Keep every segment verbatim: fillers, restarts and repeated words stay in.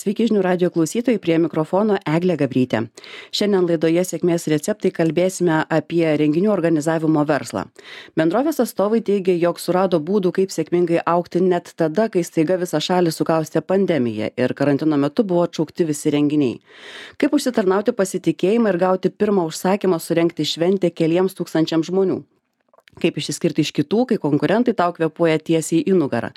Sveiki žinių radijo klausytojai, prie mikrofono Eglė Gabrytė. Šiandien laidoje Sėkmės receptai kalbėsime apie renginių organizavimo verslą. Bendrovės atstovai teigia, jog surado būdų, kaip sėkmingai augti net tada, kai staiga visą šalį sukaustė pandemija ir karantino metu buvo atšaukti visi renginiai. Kaip užsitarnauti pasitikėjimą ir gauti pirmą užsakymą surengti šventę keliems tūkstančiams žmonių. Kaip išsiskirti iš kitų, kai konkurentai tau kvėpuoja tiesiai į nugarą.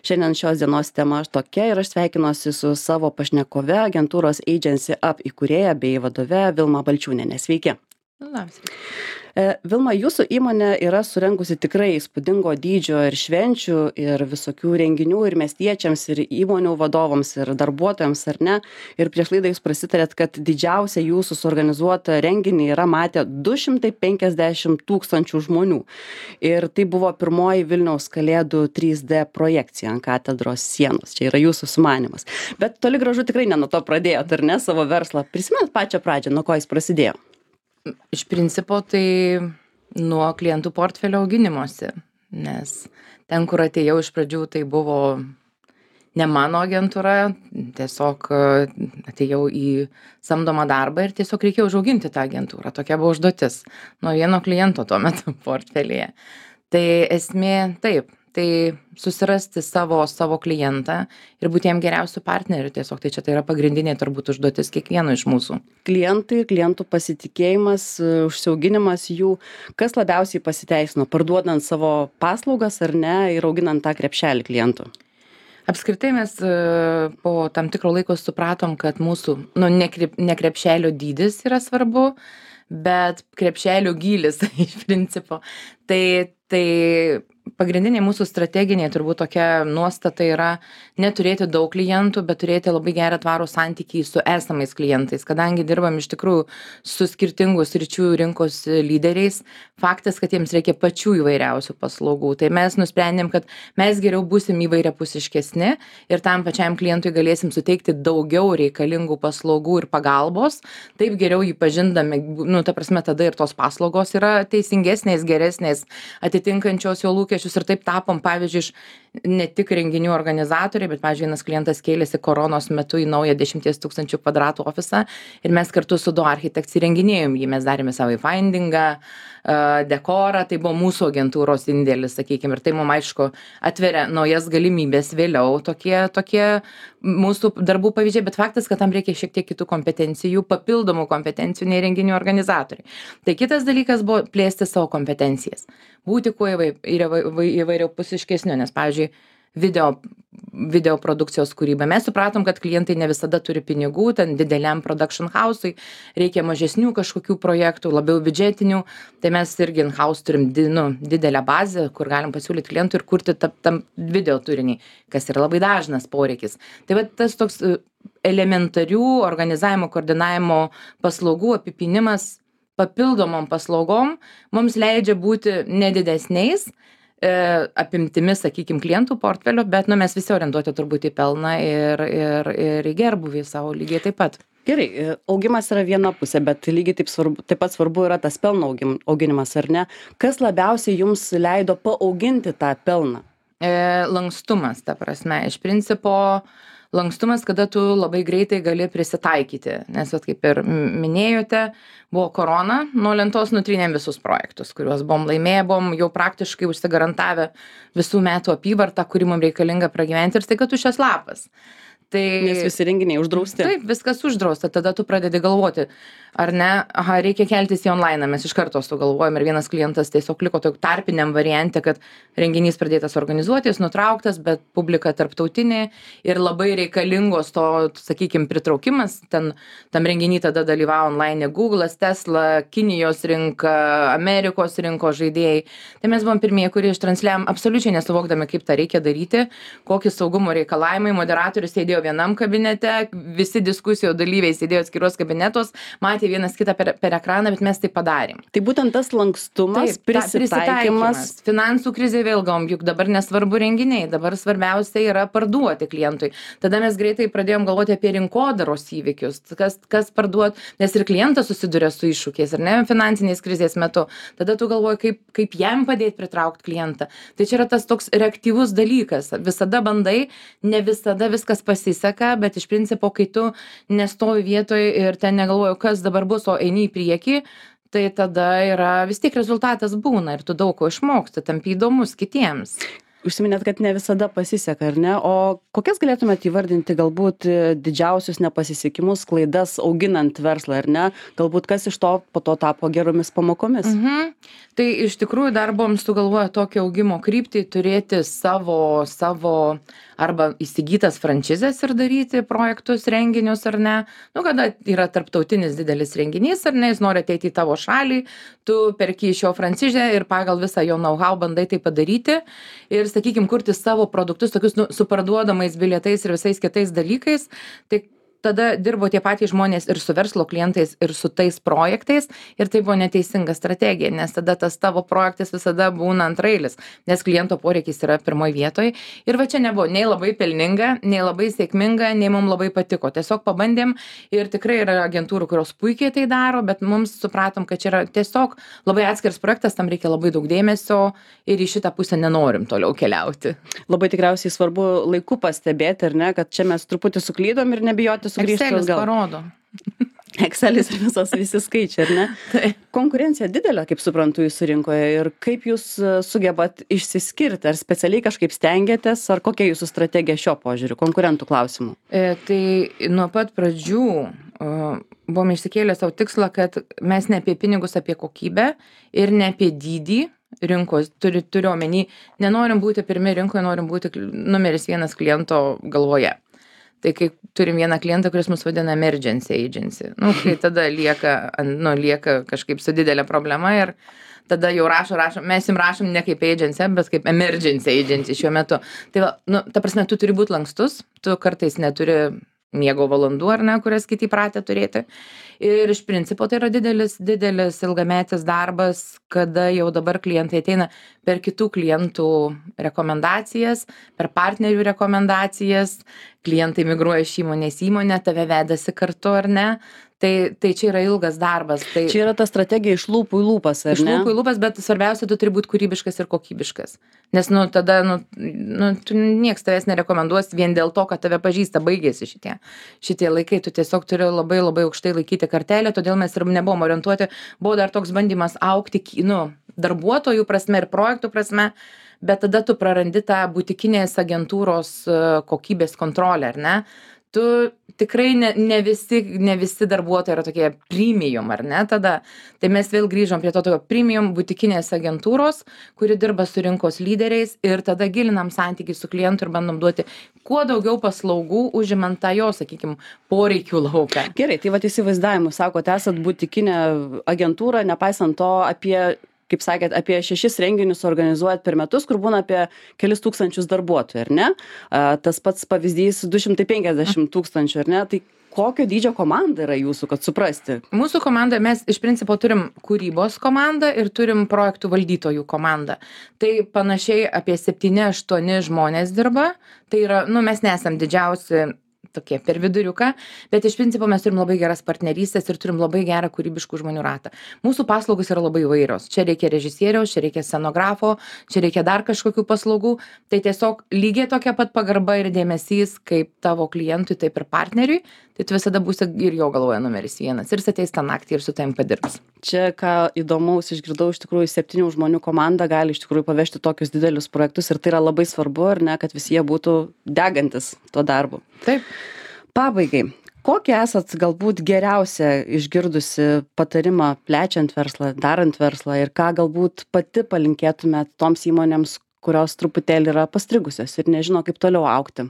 Šiandien šios dienos tema tokia ir aš sveikinuosi su savo pašnekove, agentūros Agency Up įkūrėja bei vadove Vilma Balčiūnienė. Sveiki. Labas. Vilma, jūsų įmonė yra surengusi tikrai įspūdingo dydžio ir švenčių, ir visokių renginių, ir miestiečiams, ir įmonių vadovams, ir darbuotojams, ar ne? Ir prieš laidą jūs prasitarėt, kad didžiausia jūsų suorganizuota renginį yra matę du šimtai penkiasdešimt tūkstančių žmonių. Ir tai buvo pirmoji Vilniaus Kalėdų trys D projekcija ant katedros sienos. Čia yra jūsų sumanymas. Bet toli gražu tikrai ne nuo to pradėjot, ar ne, savo verslą. Prisimenat pačią pradžią, nuo ko jis prasidėjo? Iš principo tai nuo klientų portfelio auginimosi, nes ten, kur atėjau iš pradžių, tai buvo ne mano agentūra, tiesiog atėjau į samdomą darbą ir tiesiog reikėjo užauginti tą agentūrą. Tokia buvo užduotis nuo vieno kliento tuo metu portfelyje. Tai esmė taip. Tai susirasti savo, savo klientą ir būti jam geriausių partnerių tiesiog. Tai čia tai yra pagrindinė turbūt užduotis kiekvieno iš mūsų. Klientai, klientų pasitikėjimas, užsiauginimas jų, kas labiausiai pasiteisino, parduodant savo paslaugas ar ne ir auginant tą krepšelį klientų? Apskritai mes po tam tikro laiko supratom, kad mūsų, nu, ne, krep, ne krepšelio dydis yra svarbu, bet krepšelio gylis iš principo. Tai, tai pagrindinė mūsų strateginė turbūt tokia nuostata yra neturėti daug klientų, bet turėti labai gerą tvarų santykį su esamais klientais. Kadangi dirbam iš tikrųjų su skirtingų sričių rinkos lyderiais, faktas, kad jiems reikia pačių įvairiausių paslaugų. Tai mes nusprendėm, kad mes geriau būsim įvairiapusiškesni ir tam pačiam klientui galėsim suteikti daugiau reikalingų paslaugų ir pagalbos. Taip geriau jį pažindami, nu, ta prasme, tada ir tos paslaugos yra teisingesnės, geresnės, atitinkančios jo lūkesčius ir taip tapom, pavyzdžiui, iš ne tik renginių organizatoriai, bet, pavyzdžiui, vienas klientas kėlėsi koronos metu į naują dešimties tūkstančių kvadratų ofisą ir mes kartu su du architektais įrenginėjom jį, mes darėme savo findingą, dekorą, tai buvo mūsų agentūros indėlis, sakykime, ir tai mums aišku atveria naujas galimybės vėliau, tokie, tokie mūsų darbų pavyzdžiai, bet faktas, kad tam reikia šiek tiek kitų kompetencijų, papildomų kompetencijų nei renginių organizatoriai. Tai kitas dalykas buvo plėsti savo kompetencijas, būti kuo įvairiapusiškesniu, nes, pavyzdžiui, video, video produkcijos kūryba. Mes supratom, kad klientai ne visada turi pinigų, ten dideliam production house'ui reikia mažesnių kažkokių projektų, labiau biudžetinių, tai mes irgi in-house turim di, nu, didelę bazę, kur galim pasiūlyti klientui ir kurti tam, tam video turinį, kas yra labai dažnas poreikis. Tai va tas toks elementarių organizavimo, koordinavimo paslaugų apipinimas papildomom paslaugom mums leidžia būti nedidesniais apimtimi, sakykime, klientų portfelio, bet nu, mes visi orientuoti turbūt į pelną ir, ir, ir į gerbuvį savo lygiai taip pat. Gerai, augimas yra viena pusė, bet lygiai taip, svarbu, taip pat svarbu yra tas pelno augim, auginimas, ar ne? Kas labiausiai jums leido paauginti tą pelną? E, lankstumas, ta prasme, iš principo lankstumas, kada tu labai greitai gali prisitaikyti, nes, vat, kaip ir minėjote, buvo korona, nuo lentos nutrynėm visus projektus, kuriuos buvom laimėję, buvom jau praktiškai užsigarantavę visų metų apyvartą, kuri mums reikalinga pragyventi ir staiga tuščias lapas. Tai, nes visi renginiai uždrausti. Taip, viskas uždrausta, tada tu pradedi galvoti, ar ne, aha, reikia keltis į online, mes iš karto sugalvojom ir vienas klientas tiesiog liko tokio tarpiniam variante, kad renginys pradėtas organizuoti, jis nutrauktas, bet publika tarptautinė ir labai reikalingos to, sakykime, pritraukimas, ten tam renginį tada dalyvavo online Google'as, Tesla, Kinijos rinka, Amerikos rinkos žaidėjai. Tai mes buvom pirmieji, kurie ištransliavom absoliučiai nesuvokdami, kaip tą reikia daryti, kokie saugumo reikalavimai, moderatorius sėdėjo vienam kabinete, visi diskusijų dalyviai sėdėjo atskiros kabinetos, matė vienas kitą per, per ekraną, bet mes tai padarėm. Tai būtent tas lankstumas, Taip, prisitaikymas. Finansų krizė vėl gavom, juk dabar nesvarbu renginiai, dabar svarbiausia yra parduoti klientui. Tada mes greitai pradėjom galvoti apie rinkodaros įvykius, kas, kas parduot, nes ir klientas susiduria su iššūkiais, ar ne, finansinės krizės metu. Tada tu galvoji, kaip, kaip jam padėti pritraukti klientą. Tai čia yra tas toks reaktyvus dalykas. Visada bandai, ne visada viskas pasiseka. pasiseka, bet iš principo, kai tu nestovi vietoje ir ten negalvoji, kas dabar bus, o eini į priekį, tai tada yra vis tiek rezultatas būna ir tu daug ko išmoksti, tampi įdomus kitiems. Užsiminėt, kad ne visada pasiseka, ar ne? O kokias galėtumėt įvardinti galbūt didžiausius nepasisekimus, klaidas auginant verslą, ar ne? Galbūt kas iš to po to tapo geromis pamokomis? Mhm. Tai iš tikrųjų dar buvom sugalvoję tokią augimo kryptį, turėti savo, savo arba įsigytas franšizes ir daryti projektus, renginius, ar ne. Nu, kada yra tarptautinis didelis renginys, ar ne, jis nori ateiti į tavo šalį, tu perki iš jo franšizę ir pagal visą jo know-how bandai tai padaryti. Ir, sakykim, kurti savo produktus, tokius nu, su parduodamais bilietais ir visais kitais dalykais. Tai tada dirbo tie patys žmonės ir su verslo klientais, ir su tais projektais, ir tai buvo neteisinga strategija, nes tada tas tavo projektas visada būna antrailis, nes kliento poreikis yra pirmoje vietoje. Ir va čia nebuvo nei labai pelninga, nei labai sėkminga, nei mums labai patiko. Tiesiog pabandėm ir tikrai yra agentūrų, kurios puikiai tai daro, bet mums supratom, kad čia yra tiesiog labai atskiras projektas, tam reikia labai daug dėmesio ir į šitą pusę nenorim toliau keliauti. Labai tikriausiai svarbu laiku pastebėti, ar ne, kad čia mes truputį suklydom ir nebijoti sugrįžti Excelis atgal. parodo. Excelis ir visos visi skaičiai, ar ne? Tai. Konkurencija didelė, kaip suprantu, jūsų rinkoje ir kaip jūs sugebat išsiskirti, ar specialiai kažkaip stengiatės, ar kokia jūsų strategija šio požiūriu, konkurentų klausimų? E, tai nuo pat pradžių uh, buvom išsikėlę savo tikslą, kad mes ne apie pinigus, apie kokybę ir ne apie dydį rinkos, turi, turiu omeny, nenorim būti pirmi rinkoje, norim būti numeris vienas kliento galvoje. Tai kai turim vieną klientą, kuris mus vadina emergency agency, nu, kai tada lieka, nu, lieka kažkaip su didelė problema ir tada jau rašo, rašo, mes jums rašom ne kaip agency, bet kaip emergency agency šiuo metu. Tai va, nu, ta prasme, tu turi būti lankstus, tu kartais neturi miego valandų, ar ne, kurias kiti pratę turėti. Ir iš principo tai yra didelis, didelis ilgametis darbas, kada jau dabar klientai ateina per kitų klientų rekomendacijas, per partnerių rekomendacijas, klientai migruoja iš įmonės į įmonę, tave vedasi kartu, ar ne. Tai, tai čia yra ilgas darbas. Tai čia yra ta strategija iš lūpų į lūpas, ar iš ne? lūpų į lūpas, bet svarbiausia, tu turi būti kūrybiškas ir kokybiškas. Nes, nu, tada, nu, nu tu nieks tavęs nerekomenduos vien dėl to, kad tave pažįsta, baigėsi šitie. Šitie laikai, tu tiesiog turi labai labai aukštai laikyti kartelę, todėl mes ir nebuvom orientuoti. Buvo dar toks bandymas augti, nu, darbuotojų prasme ir projektų prasme, bet tada tu prarandi tą butikinės agentūros kokybės kontrolę, ar ne? Tu tikrai ne, ne, visi, ne visi darbuotojai yra tokie premium, ar ne, tada. Tai mes vėl grįžom prie to tokio premium butikinės agentūros, kuri dirba su rinkos lyderiais ir tada gilinam santykį su klientu ir bandom duoti kuo daugiau paslaugų, užimant tą jo, sakykime, poreikių lauką. Gerai, tai va įsivaizdavimu, sakote, esat butikinė agentūra, nepaisant to apie kaip sakėt, apie šešis renginius organizuojat per metus, kur būna apie kelis tūkstančius darbuotojų, ar ne? A, tas pats pavyzdys du šimtai penkiasdešimt tūkstančių, ar ne? Tai kokio dydžio komanda yra jūsų, kad suprasti? Mūsų komanda, mes iš principo turim kūrybos komandą ir turim projektų valdytojų komandą. Tai panašiai apie septyni aštuoni žmonės dirba. Tai yra, nu, mes nesam didžiausi tokie per viduriuką, bet iš principo mes turim labai geras partnerystės ir turim labai gerą kūrybiškų žmonių ratą. Mūsų paslaugos yra labai įvairios. Čia reikia režisieriaus, čia reikia scenografo, čia reikia dar kažkokių paslaugų. Tai tiesiog lygiai tokia pat pagarba ir dėmesys kaip tavo klientui, taip ir partneriui. Tai tu visada būsi ir jo galvoje numeris vienas. Ir jis ateis tą naktį ir su tavim padirbs. Čia, ką įdomaus išgirdau, iš tikrųjų septynių žmonių komanda gali iš tikrųjų pavežti tokius didelius projektus ir tai yra labai svarbu, ar ne, kad visi jie būtų degantis tuo darbu. Taip. Pabaigai, kokį esat galbūt geriausią išgirdusi patarimą plečiant verslą, darant verslą ir ką galbūt pati palinkėtumėt toms įmonėms, kurios truputėlį yra pastrigusios ir nežino, kaip toliau augti?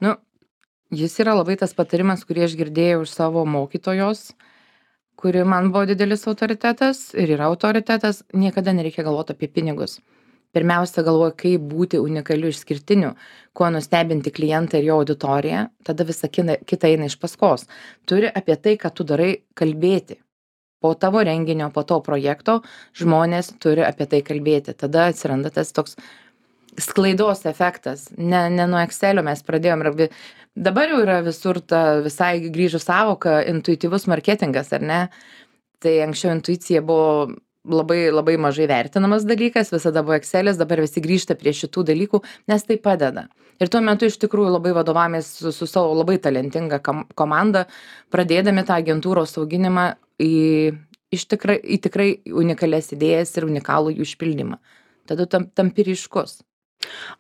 Nu, jis yra labai tas patarimas, kurį aš girdėjau iš savo mokytojos, kuri man buvo didelis autoritetas ir yra autoritetas, niekada nereikia galvoti apie pinigus. Pirmiausia, galvoju, kaip būti unikaliu, išskirtiniu, kuo nustebinti klientą ir jo auditoriją, tada visa kita eina iš paskos. Turi apie tai, ką tu darai, kalbėti. Po tavo renginio, po to projekto žmonės turi apie tai kalbėti. Tada atsiranda tas toks sklaidos efektas. Ne, ne nuo Excelio mes pradėjom. Dabar jau yra visur ta visai grįžus savoka intuityvus marketingas, ar ne? Tai anksčiau intuicija buvo labai labai mažai vertinamas dalykas, visada buvo Excelis, dabar visi grįžta prie šitų dalykų, nes tai padeda. Ir tuo metu iš tikrųjų labai vadovavomės su, su savo labai talentinga kam, komanda, pradėdami tą agentūros auginimą į, iš tikrai, į tikrai unikalias idėjas ir unikalų jų išpildymą. Tada tam, tampi ryškus.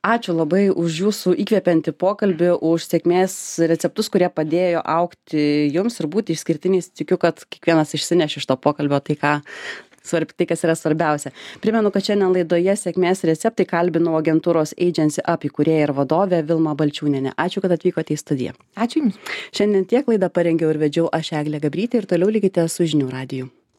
Ačiū labai už jūsų įkvepiantį pokalbį, už sėkmės receptus, kurie padėjo augti jums ir būti išskirtiniais. Tikiu, kad kiekvienas išsineš iš to pokalbio tai, ką, svarb, tai kas yra svarbiausia. Primenu, kad šiandien laidoje Sėkmės receptai kalbinau agentūros Agency Up įkūrėją ir vadovę Vilmą Balčiūnienę. Ačiū, kad atvykote į studiją. Ačiū Jums. Šiandien tiek laidą parengiau ir vedžiau aš Eglė Gabrytė ir toliau likite su žinių radiju.